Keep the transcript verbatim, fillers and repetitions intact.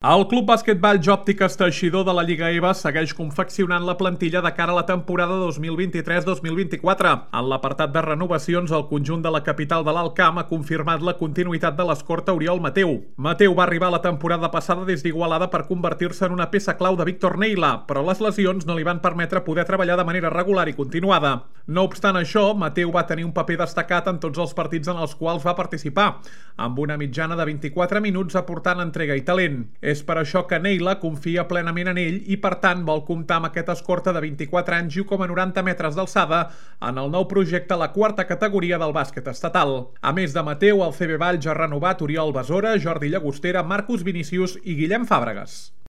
El Club Bàsquetball Òptiques Teixidor de la Lliga E V A segueix confeccionant la plantilla de cara a la temporada dos mil vint-i-tres dos mil vint-i-quatre. En l'apartat de renovacions, el conjunt de la capital de l'Alt Camp ha confirmat la continuïtat de l'escorta Oriol Mateu. Mateu va arribar la temporada passada des d'Igualada per convertir-se en una peça clau de Víctor Neila, però les lesions no li van permetre poder treballar de manera regular i continuada. No obstant això, Mateu va tenir un paper destacat en tots els partits en els quals va participar, amb una mitjana de vint-i-quatre minuts aportant entrega i talent. És per això que Neila confia plenament en ell i, per tant, vol comptar amb aquest escorta de vint-i-quatre anys i un coma noranta metres d'alçada en el nou projecte a la quarta categoria del bàsquet estatal. A més de Mateu, el C B Valls ha renovat Oriol Besora, Jordi Llagostera, Marcus Vinicius i Guillem Fàbregas.